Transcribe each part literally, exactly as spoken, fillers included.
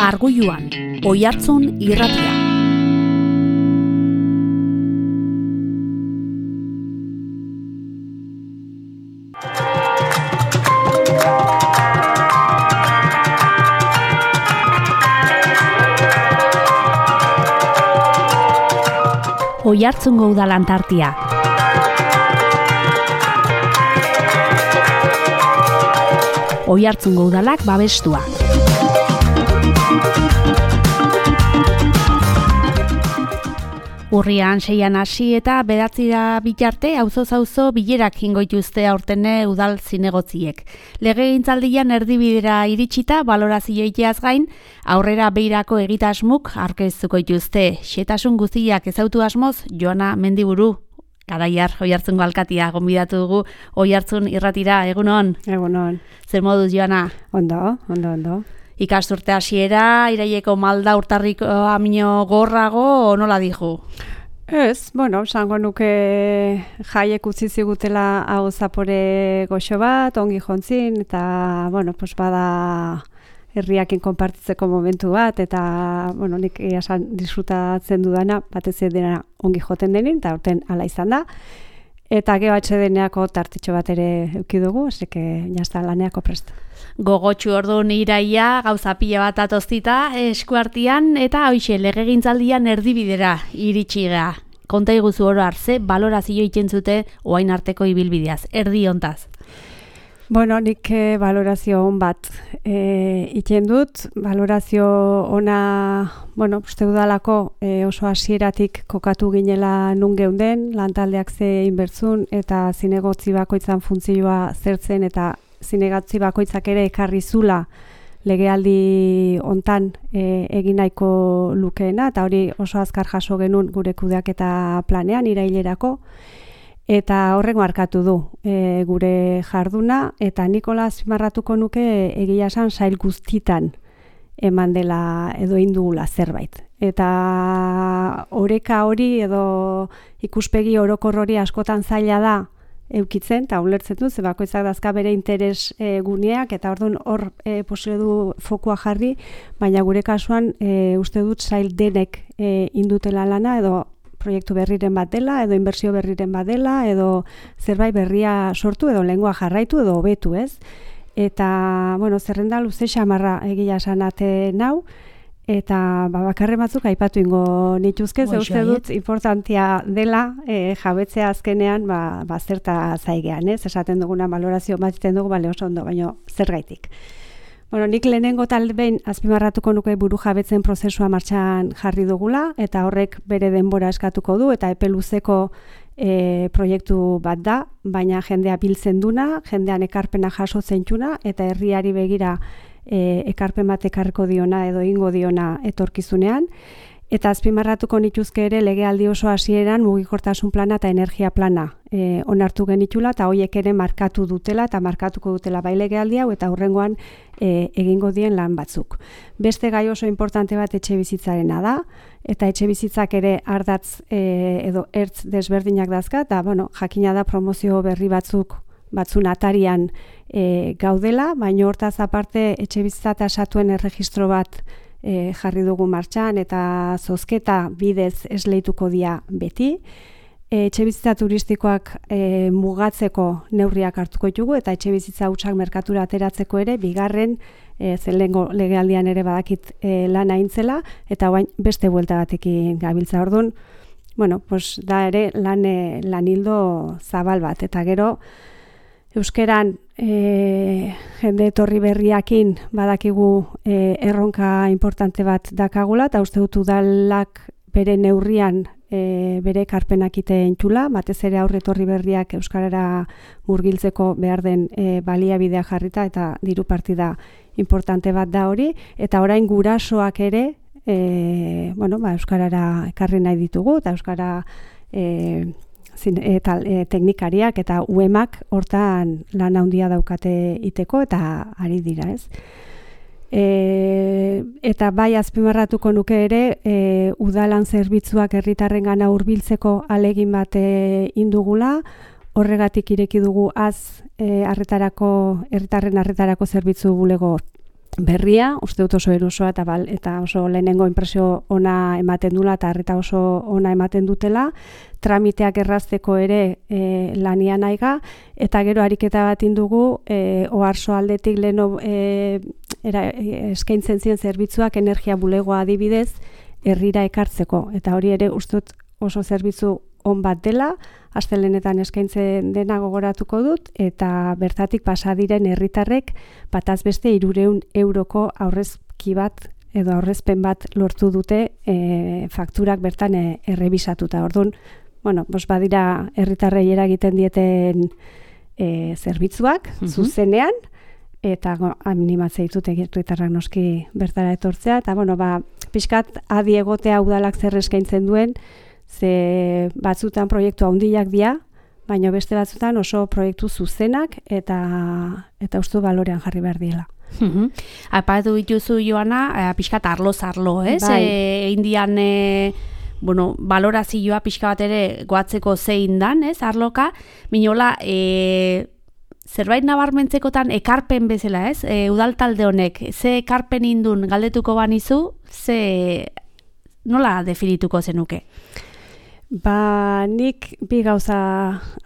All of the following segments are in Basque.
Arguluan, Oihartzun irratia. Oihartzungo udalan tartia. Oihartzungo udalak babestua. Urrian seian hasi eta bederatira bitarte auzoz auzo bilerak ingo dituzte aurtene udal zinegotziek. Legegintzaldian erdibidera iritsita balorazioiteaz gain, aurrera beirako egitasmuk aurkeztuko dituzte. Xehetasun guztiak ezautu asmoz, Joana Mendiburu, Garaiar Oihartzungo alkatia gonbidatu dugu Oihartzun irratira. Egunon. Egunon. Zer moduz, Joana? Ondo, ondo, ondo. Ikasturte hasiera, iraileko malda urtarriko amino gorrago, nola dihu? Ez, bueno, esango nuke jaiek utzi zigutela hau zapore goxo bat, ongi jontzin, eta, bueno, pues bada herriakin konpartitzeko momentu bat, eta, bueno, nik esan disfrutatzen dudana, batez dena ongi joten denin, eta urten ala izan da. Eta G H D-neako tartitxo bat ere eduki dugu, eseke jazta laneako prest. Gogotxu orduan iraia, gauza pila bat atoztita eskuartian, eta hoixe legegintzaldian erdibidera iritsi ga. Konta iguzu oro hartze, balorazio ikentzute oain arteko ibilbideaz, erdi hontaz. Bueno, nik eh, balorazio on bat eh, iken dut, balorazio ona, bueno, uste udalako eh, oso hasieratik kokatu ginela nun geunden, lantaldeak ze inbertzun eta zinegotzi bakoitzan funtzioa zertzen eta zinegotzi bakoitzak ere ekarri zula legealdi hontan e, egin nahiko lukeena, eta hori oso azkar jaso genuen gure kudeaketa planean irailerako, eta horrengo arkatu du e, gure jarduna, eta Nikola azpimarratuko nuke egia esan sail guztitan eman dela edo indugula zerbait. Eta oreka hori edo ikuspegi orokor hori askotan zaila da eukitzen, eta ulertzen du, ze bakoitzak dazka bere interes e, guneak, eta orduan hor e, posible du fokua jarri, baina gure kasuan e, uste dut sail denek e, indutela lana, edo proiektu berriren bat dela, edo inbertsio berriren bat dela, edo zerbait berria sortu, edo lengua jarraitu, edo hobetu, ez? Eta, bueno, zerrenda luze xamarra egia sanate nau, eta ba, bakarren batzuk aipatu ingo nituzke, ze uste dut importantia dela e, jabetzea azkenean ba, ba zerta zaigean, ez? Esaten duguna balorazio bat egiten dugu, bale oso ondo, baina zergaitik. Bueno, nik lehenengo tal behin azpimarratuko nuke buru jabetzen prozesua martxan jarri dugula, eta horrek bere denbora eskatuko du, eta epe luzeko e, proiektu bat da, baina jendea biltzen duna, jendean ekarpena jaso zentzuna, eta herriari begira E, ekarpen bat ekarriko diona edo ingo diona etorkizunean, eta azpimarratuko nituzke ere legealdi oso hasieran mugikortasun plana eta energia plana e, onartu genitula, eta hoiek ere markatu dutela eta markatuko dutela bai legealdi hau eta hurrengoan e, egingo dien lan batzuk. Beste gai oso importante bat etxe bizitzarena da, eta etxe bizitzak ere ardatz e, edo ertz desberdinak dazka, eta bueno, jakina da promozio berri batzuk batzun atarian e, gaudela, baina hortaz aparte etxe bizitza tasatuen erregistro bat e, jarri dugu martxan, eta zozketa bidez esleituko dia beti. E, etxe bizitza turistikoak e, mugatzeko neurriak hartuko ditugu, eta etxe bizitza hutsak merkatura ateratzeko ere, bigarren e, zelengo legealdian ere badakit e, lana intzela, eta orain beste buelta batekin gabiltza ordun. Bueno, pues da ere lan, lan hildo zabal bat, eta gero euskeran e, jende etorri berriakin badakigu e, erronka importante bat dakagula, eta uste dut udalak bere neurrian e, bere ekarpenak iten txula, batez ere aurre etorri berriak euskarara murgiltzeko behar den e, baliabidea jarrita, eta diru partida importante bat da hori, eta orain gurasoak ere e, bueno, ba, euskarara ekarri nahi ditugu, eta euskara e, Zin, eta e, teknikariak eta U E M-ak hortan lan handia daukate iteko, eta ari dira, ez? E, eta bai azpimarratuko nuke ere, e, udalan zerbitzuak herritarrengana hurbiltzeko alegin bat e, indugula, horregatik ireki dugu az e, arretarako, herritarren arretarako zerbitzu bulego berria, uste dut oso erosoa eta, bal, eta oso lehenengo inpresio ona ematen dula eta arreta oso ona ematen dutela, tramiteak errazteko ere e, lanian aiga, eta gero ariketa bat indugu e, oarso aldetik leheno e, era, e, eskaintzen ziren zerbitzuak energia bulegoa adibidez herrira ekartzeko, eta hori ere uste dut oso zerbitzu on bat dela, astelehenetan eskaintzen dena gogoratuko dut, eta bertatik pasa diren herritarrek bataz beste hirurehun euroko aurrezki bat edo aurrezpen bat lortu dute e, fakturak bertan e, errebisatuta. Orduan, bueno, bos badira herritarrei eragiten dieten e, zerbitzuak, mm-hmm. zuzenean, eta go, animatzea ditut herritarrak noski bertara etortzea, eta bueno, ba, pixkat adi egotea udalak zer eskaintzen duen, ze batzutan proiektu handiak dira, baina beste batzutan oso proiektu zuzenak eta eta uste balorean jarri behar diela. Mhm. Aipatu dituzu Joana, pixkat arloz arlo, ez? Bai. E, indian e, bueno, balorazioa pixka bat ere goatzeko zein dan, ez? Arloka, minola, e, zerbait nabarmentzekotan ekarpen bezala, ez? E, udal talde honek, ze ekarpen indun galdetuko banizu, ze nola definituko zenuke? Ba, nik bi gauza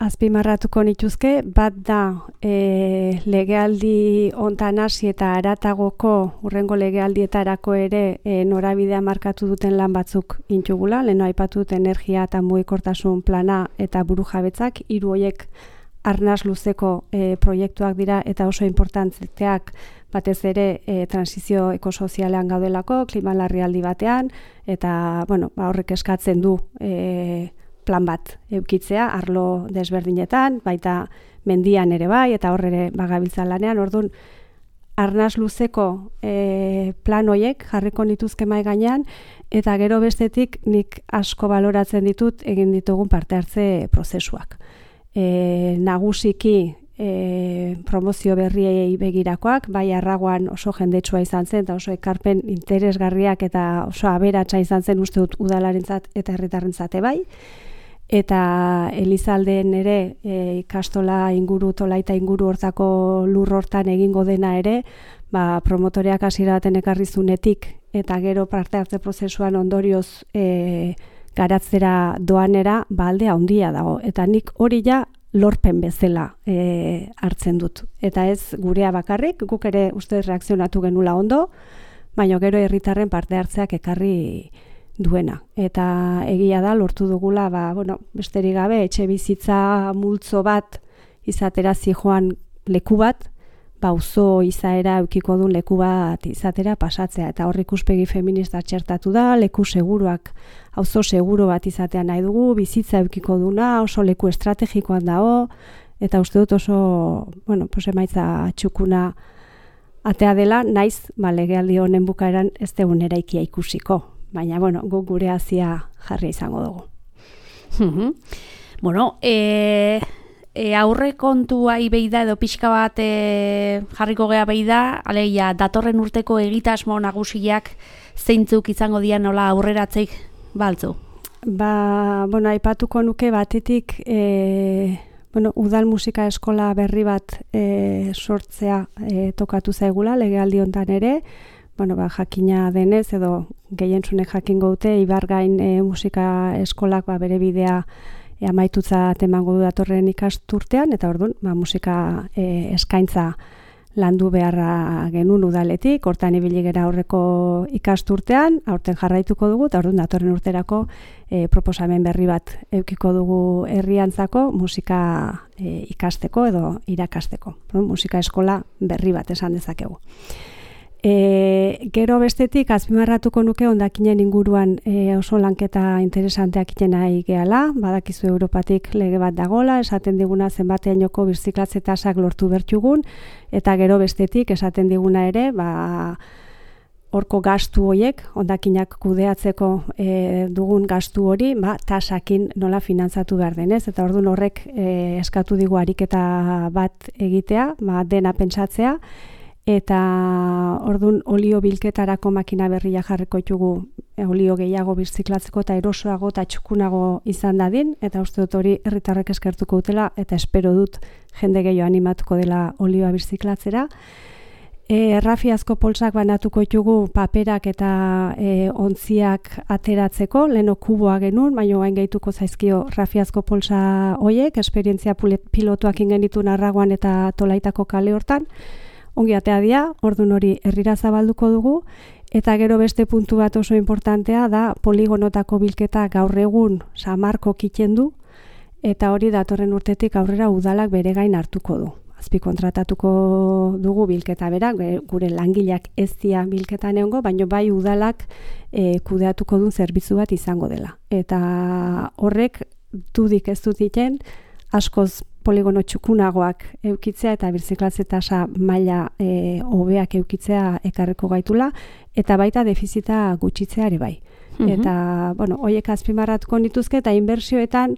azpimarratuko nituzke, bat da e, legealdi hontan hasi eta haratagoko hurrengo legealdietarako ere e, norabidea markatu duten lan batzuk intugula, leheno aipatu dut energia eta mugikortasun plana eta burujabetzak, hiru horiek arnaz luzeko e, proiektuak dira eta oso importanteak batez ere e, transizio ekosozialean gaudelako, klima larrialdi batean, eta bueno, ba, horrek eskatzen du e, plan bat eukitzea, arlo desberdinetan, baita mendian ere bai, eta hor ere bagabiltza lanean, orduan, arnaz luzeko e, plan hoiek jarriko nituzke mai gainean, eta gero bestetik nik asko baloratzen ditut egin ditugun parte hartze prozesuak. E, nagusiki e, promozio berriei begirakoak, bai arragoan oso jendetsua izan zen, eta oso ekarpen interesgarriak eta oso aberatsa izan zen uste dut udalarentzat eta herritarrentzat bai. Eta Elizalden ere e, ikastola inguru, tolaita inguru hortako lur hortan egingo dena ere, ba, promotoreak hasiera baten ekarrizunetik eta gero parte hartze prozesuan ondorioz e, garatzera doanera ba alde handia dago. Eta nik hori ja lorpen bezala e, hartzen dut. Eta ez gurea bakarrik, guk ere uste reakzionatu genula ondo, baina gero herritarren parte hartzeak ekarri duena. Eta egia da lortu dugula, ba, bueno, besterik gabe etxe bizitza multzo bat izatera zijoan leku bat, ba, auzo izaera eukiko duen leku bat izatera pasatzea. Eta hor ikuspegi feminista txertatu da, leku seguruak, auzo seguro bat izatea nahi dugu, bizitza eukiko duna, oso leku estrategikoan dago, eta uste dut oso, bueno, pues emaitza txukuna atea dela, naiz, ba, legealdi honen bukaeran ez deun eraikia ikusiko. Baina, bueno, guk gure hazia jarri izango dugu. Mm-hmm. Bueno, e, e, aurre kontua ibeida edo pixka bat e, jarriko gea beida, alegia, datorren urteko egitasmo nagusiak zeintzuk izango dian nola aurreratzeik baltzu? Ba, bueno, aipatuko nuke batetik, e, bueno, udal musika eskola berri bat e, sortzea e, tokatu zaigula, legealdi hontan ere, bueno, ba, jakina denez edo gehientzunek jakingo dute Ibargain e, musika eskolak ba, bere bidea e, amaitutza temango du datorren ikasturtean, eta orduan ba, musika e, eskaintza landu beharra genuen udaletik, hortan ibili gera aurreko ikasturtean, aurten jarraituko dugu, eta orduan datorren urterako e, proposamen berri bat eukiko dugu herriantzako musika e, ikasteko edo irakasteko. Musika eskola berri bat esan dezakegu. E, gero bestetik azpimarratuko nuke hondakinen inguruan e, oso lanketa interesanteak iten nahi gehala, badakizu Europatik lege bat dagola, esaten diguna zenbateainoko birziklatze tasak lortu bertugun, eta gero bestetik esaten diguna ere, ba, horko gastu horiek, hondakinak kudeatzeko e, dugun gastu hori, ba, tasakin nola finantzatu behar denez, eta orduan horrek e, eskatu digu ariketa bat egitea, ba, dena pentsatzea, eta orduan olio bilketarako makina berria jarriko ditugu olio gehiago birziklatzeko eta erosoago eta txukunago izan dadin, eta uste dut hori herritarrek eskertuko dutela, eta espero dut jende gehiago animatuko dela olioa birziklatzera. E, errafiazko poltsak banatuko ditugu paperak eta e, ontziak ateratzeko, leheno kuboa genuen, baina hain gehituko zaizkio rafiazko poltsa hoiek, esperientzia pilotuak ingenitu narragoan eta Tolaitako kale hortan, ongi atea dia, ordun hori herrira zabalduko dugu, eta gero beste puntu bat oso importantea da poligonotako bilketa gaur egun samarko kiten du, eta hori datorren urtetik aurrera udalak bere gain hartuko du. Azpikontratatuko dugu bilketa bera, gure langileak ez dira bilketan egongo, baina bai udalak e, kudeatuko duen zerbitzu bat izango dela. Eta horrek dudik ez dut iten, askoz poligono txukunagoak eukitzea eta birziklatze tasa maila e, hobeak eukitzea ekarriko gaitula, eta baita defizita gutxitzea ere bai. Mm-hmm. Eta, bueno, hoiek azpimarratuko nituzke eta inbertsioetan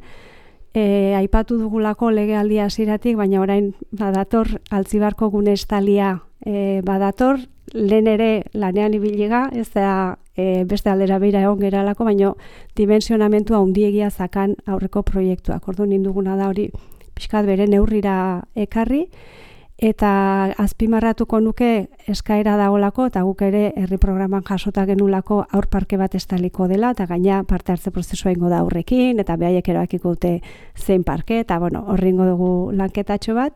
E, aipatu dugulako legealdia hasieratik, baina orain badator Altzibarko gune estalia e, badator, lehen ere lanean ibiliga, ez da e, beste aldera beira egon geralako, baina dimensionamentua handiegia zakan aurreko proiektuak. Orduan induguna da hori pixkat bere neurrira ekarri, eta azpimarratuko nuke eskaera dagoelako, eta guk ere herri programan jasota genulako aur parke bat estaliko dela, eta gaina parte hartze prozesua ingo da aurrekin, eta behaiek erabakiko dute zein parke, eta bueno, horri ingo dugu lanketatxo bat,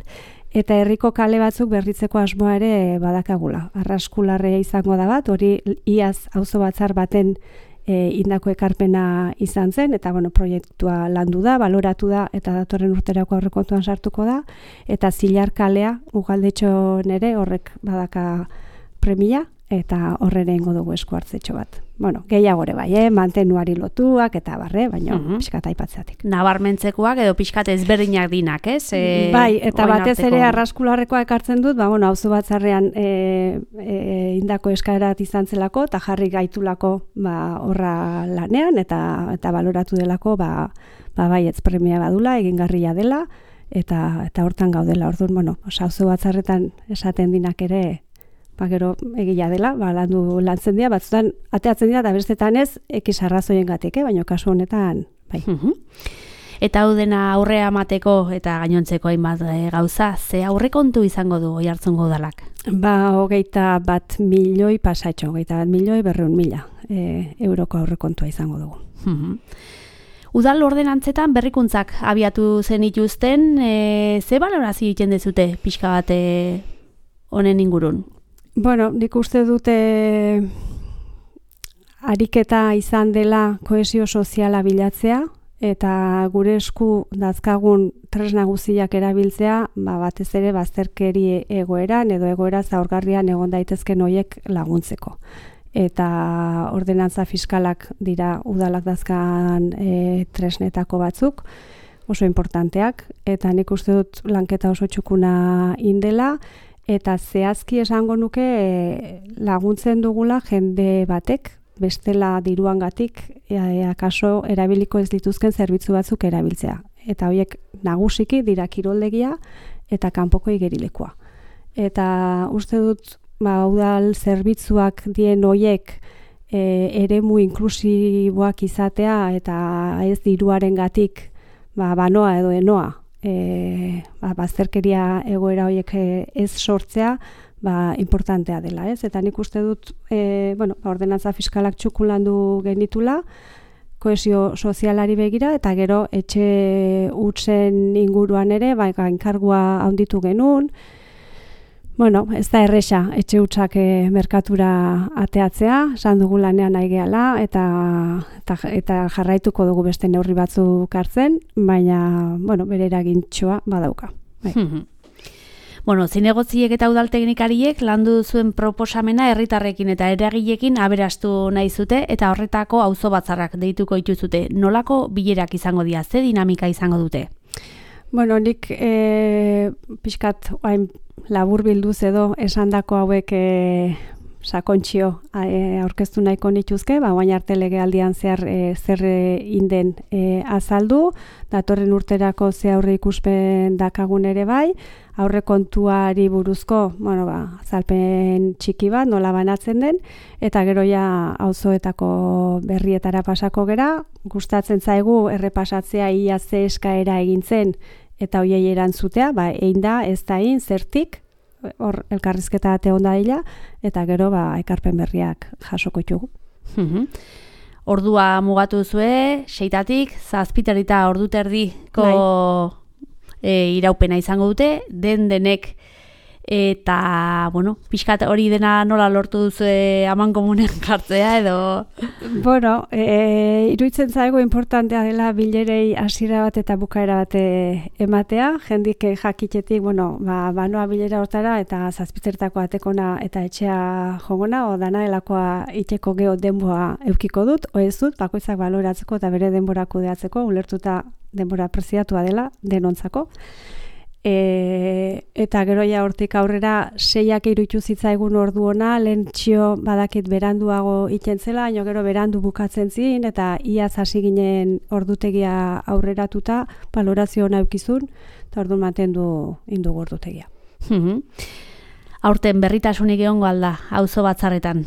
eta herriko kale batzuk berritzeko asmoa ere badakagula. Arraskularrea izango da bat, hori iaz auzo batzar baten E, indako ekarpena izan zen, eta bueno, proiektua landu da, baloratu da, eta datorren urterako aurrekontuan sartuko da, eta Zilar kalea, ugaldetxo nere, horrek badaka premia, eta horrere ingo dugu esku hartzetxo bat. Bueno, gehiagore bai, eh? Mantenuari lotuak, eta barre, baina uh-huh. pixkat aipatzeatik. Nabarmentzekoak edo pixkat ezberdinak dinak, ez? E, bai, eta batez ere arraskularrekoa ekartzen dut, ba, bueno, auzo batzarrean e, e, indako eskaerat izan zelako, eta jarri gaitulako ba, horra lanean, eta eta baloratu delako, ba, ba bai, ez premia badula, egingarria dela, eta eta hortan gaudela, orduan, bueno, auzo batzarretan esaten dinak ere, ba, gero egia dela, ba, landu lantzen dira, batzutan ateatzen dira, eta bestetan ez, ekiz arrazoien gatik, eh? Baina kasu honetan, bai. Uh-huh. Eta hau dena aurrea amateko eta gainontzeko hainbat e, gauza, ze aurrekontu izango du Oiartzungo udalak? Ba, hogeita bat milioi pasatxo, hogeita bat milioi berreun mila e, euroko aurrekontua izango dugu. Uh-huh. Udal ordenantzetan berrikuntzak abiatu zenituzten, e, ze balorazio egiten dezute pixka bat honen ingurun? Bueno, nik uste dute ariketa izan dela kohesio soziala bilatzea, eta gure esku dazkagun tresna guztiak erabiltzea, ba, batez ere bazterkeri egoeran edo egoera zaurgarrian egon daitezken hoiek laguntzeko. Eta ordenantza fiskalak dira udalak dazkan e, tresnetako batzuk, oso importanteak, eta nik uste dut lanketa oso txukuna indela, eta zehazki esango nuke e, laguntzen dugula jende batek, bestela diruangatik e, akaso erabiliko ez dituzken zerbitzu batzuk erabiltzea. Eta horiek nagusiki dira kiroldegia eta kanpoko igerilekoa. Eta uste dut, ba, udal zerbitzuak dien horiek e, eremu inklusiboak izatea eta ez diruarengatik ba, banoa edo enoa. E, ba, bazterkeria egoera horiek ez sortzea ba, importantea dela, ez? Eta nik uste dut e, bueno, ordenantza fiskalak txukun landu genitula, kohesio sozialari begira, eta gero etxe hutsen inguruan ere, ba, enkargua handitu genuen. Bueno, ez da erresa etxe hutsak e, merkatura ateatzea, esan dugu lanean nahi gehala, eta, eta, eta jarraituko dugu beste neurri batzuk hartzen, baina, bueno, bere eragintxoa badauka. Bai. Bueno, zinegotziek eta udalteknikariek landu zuen proposamena herritarrekin eta eragileekin aberastu nahi zute, eta horretako auzo batzarrak deituko dituzute. Nolako bilerak izango dira, ze dinamika izango dute? Bueno, nik e, pixkat hain labur bilduz edo esandako hauek e, sakontxio e, aurkeztu nahiko nituzke, ba, oain arte legealdian zehar e, zer inden e, azaldu, datorren urterako ze aurre ikuspen dakagun ere bai, aurre kontuari buruzko, bueno, ba, azalpen txiki bat, nola banatzen den, eta gero ja auzoetako berrietara pasako gera, gustatzen zaigu errepasatzea ia ze eskaera egin zen, eta hoiei erantzutea, ba, egin da, ez da egin, zertik, hor elkarrizketa ate onda dela, eta gero ba, ekarpen berriak jasoko ditugu. Ordua mugatu zue, seitatik, zazpiterita ordu terdiko e, iraupena izango dute, den denek, eta, bueno, pixkat hori dena nola lortu duzu aman komunen jartzea edo... Bueno, e, iruditzen zaigu importantea dela bilerei hasiera bat eta bukaera bat ematea, jendik jakitetik, bueno, ba, banoa bilera hortara eta zazpitertako atekona eta etxea jogona, o dana delakoa iteko geho denboa eukiko dut, o ez dut, bakoitzak baloratzeko eta bere denbora kudeatzeko, ulertuta denbora preziatua dela denontzako. E, eta gero ja hortik aurrera seiak iruditu zitzaigun ordu ona, lehen txio badakit beranduago ikentzela, baina gero berandu bukatzen zin, eta iaz hasi ginen ordutegia aurreratuta, balorazio ona eukizun, eta ordu mantendu indugu ordutegia. Aurten berritasunik egongo alda, auzo batzarretan?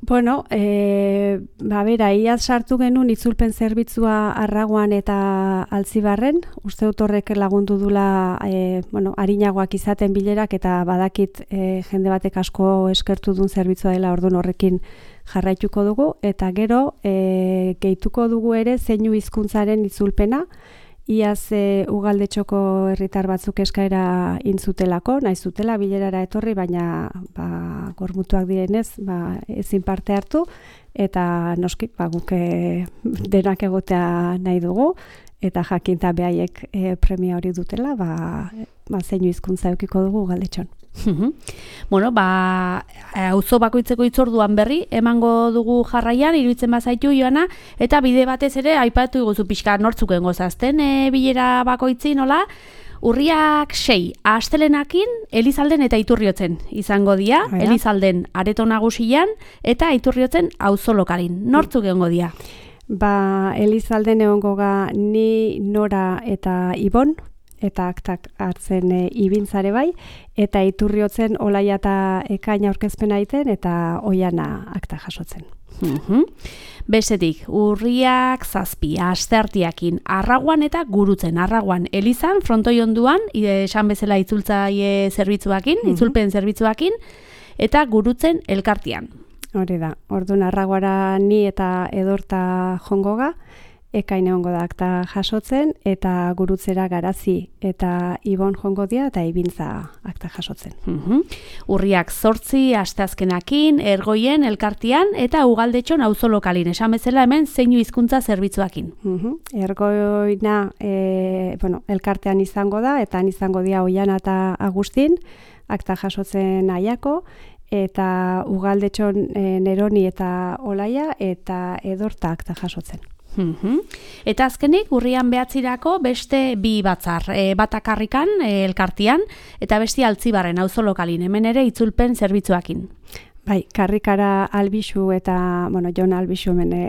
Bueno, e, ba bera, iaz sartu genuen itzulpen zerbitzua Arraguan eta Altzibarren, uste dut horrek lagundu dula e, bueno, arinagoak izaten bilerak eta badakit e, jende batek asko eskertu duen zerbitzua dela orduan horrekin jarraituko dugu, eta gero e, gehituko dugu ere zeinu hizkuntzaren itzulpena, iaz e, ugaldetxoko herritar batzuk eskaera intzutelako, nahi zutela bilerara etorri, baina ba, gormutuak direnez ba, ezin parte hartu, eta noski ba, guke denak egotea nahi dugu, eta jakinta behaiek e, premia hori dutela, ba, ba, zeinu hizkuntza eukiko dugu ugaldetxon. Bueno, ba, auzo bakoitzeko hitzorduan berri emango dugu jarraian, iruditzen bazaitu Joana, eta bide batez ere aipatu iguzu pixka nortzuk gozazten e, bilera bakoitzi nola, urriak sei, astelenakin Elizalden eta Iturriotzen izango dira, Aia. Elizalden areto nagusian eta Iturriotzen auzo lokalin. Nortzuk egongo dira? Ba, Elizalden egongo ga ni, Nora eta Ibon, eta aktak hartzen e, ibintzare bai, eta Iturriotzen Olaia eta Ekaina aurkezpena egiten eta Oiana akta jasotzen. Uhum. Bestetik, urriak zazpi, asteartiakin, Arraguan eta Gurutzen. Arraguan, Elizan, frontoi onduan, esan bezala itzultzaile zerbitzuakin, uhum. itzulpen zerbitzuakin, eta Gurutzen elkartian. Hori da, orduan Arraguara ni eta Edorta jongoga, Ekain egongo da akta jasotzen, eta Gurutzera Garazi eta Ibon jongo dia, eta Ibintza akta jasotzen. Uhum. Urriak zortzi, asteazkenakin, Ergoien, elkartian, eta Ugaldetxon auzo lokalin. Esan bezala hemen zeinu hizkuntza zerbitzuakin. Uhum. Ergoina e, bueno, elkartean izango da, eta han izango dia Oiana eta Agustin, akta jasotzen Aiako, eta Ugaldetxon e, Neroni eta Olaia, eta Edorta akta jasotzen. Uhum. Eta azkenik urrian behatzirako beste bi batzar, e, batakarrikan e, elkartian, eta beste Altzibarren auzo lokalin, hemen ere itzulpen zerbitzuakin. Bai, karrikara Albixu eta, bueno, Jon Albixu hemen e,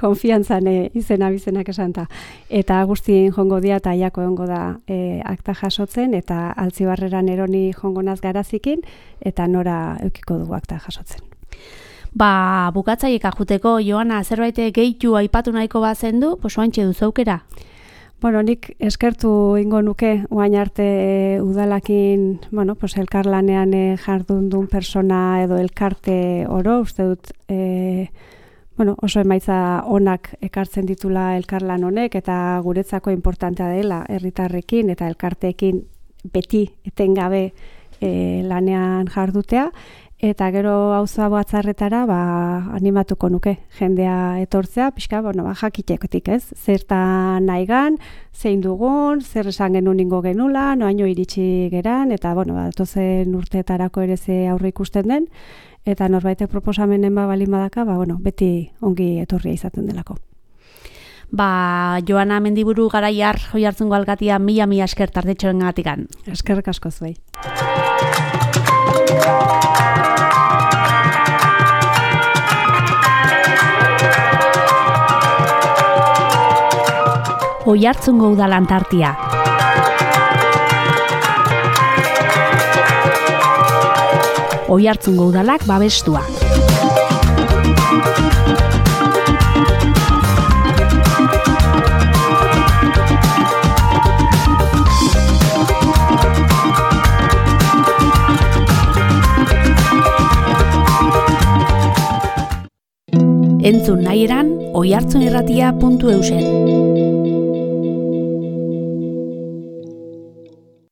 konfiantzan e, izena bizenak esanta. Eta Agustin jongo dia eta Aiako jongo da e, akta jasotzen, eta Altzibarrera Neroni jongo naz Garazikin, eta Nora eukiko dugu akta jasotzen. Ba, bukatzaiek ajuteko, Joana, zerbait gehitu aipatu nahiko bazen du, pues oantxe duzu aukera? Bueno, nik eskertu ingo nuke, oain arte udalakin, bueno, pues elkarlanean e, jardun duen persona edo elkarte oro, uste dut, e, bueno, oso emaitza onak ekartzen ditula elkarlan honek, eta guretzako importantea dela herritarrekin eta elkarteekin beti etengabe e, lanean jardutea, eta gero auzoa batzarretara ba, animatuko nuke jendea etortzea, pixka, bueno, ba, jakitekotik, ez? Zertan nahigan, zein dugun, zer esan genuen ingo genula, noaino iritsi geran, eta, bueno, ba, tozen urteetarako ere ze aurre ikusten den, eta norbaitek proposamenen ba balin badaka, ba, bueno, beti ongi etorria izaten delako. Ba, Joana Mendiburu Garaiar Oiartzungo alkatia mila mila esker tardetxoren gatikan. Eskerrik asko zuei. Oiartzungo udalan tartia. Oiartzungo udalak babestua. Entzun nahi eran, oihartzunirratia puntu eusen.